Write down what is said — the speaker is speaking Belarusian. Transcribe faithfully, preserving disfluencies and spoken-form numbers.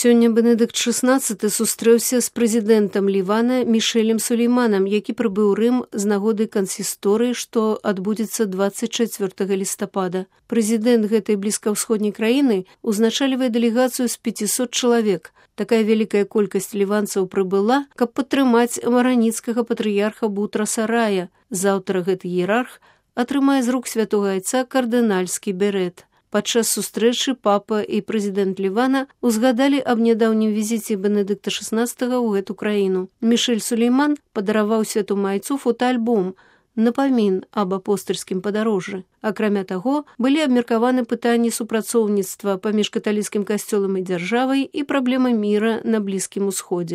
Сёння Бенедыкт шаснаццаты сустрэўся з прэзідэнтам Лівана Мішэлем Сулейманам, які прыбыў Рым з нагоды кансісторыі, што адбудзецца дваццаць чацвёртага лістапада. Прэзідэнт гэтай блізкаўсходняй краіны узначальвае дэлегацыю з пяцісот чалавек. Такая вялікая колькасць ліванцаў прыбыла, каб падтрымаць мараніцкага патрыярха Бутраса Рая. Заўтра гэты іерарх атрымае з рук святога айца кардынальскі берэт. Падчас сустрэчы папа і прэзідэнт Лівана узгадалі аб нядаўнім візіце Бенедыкта шаснаццатага ў гэту краіну. Мішэль Сулейман падараваў святому айцу фотоальбом «Напамін аб апостальскім падарожжы». Акрамя таго, былі абмеркаваны пытанні супрацоўніцтва паміж каталіцкім касцёлам і дзяржавай і праблемы міра на Блізкім Усходзе.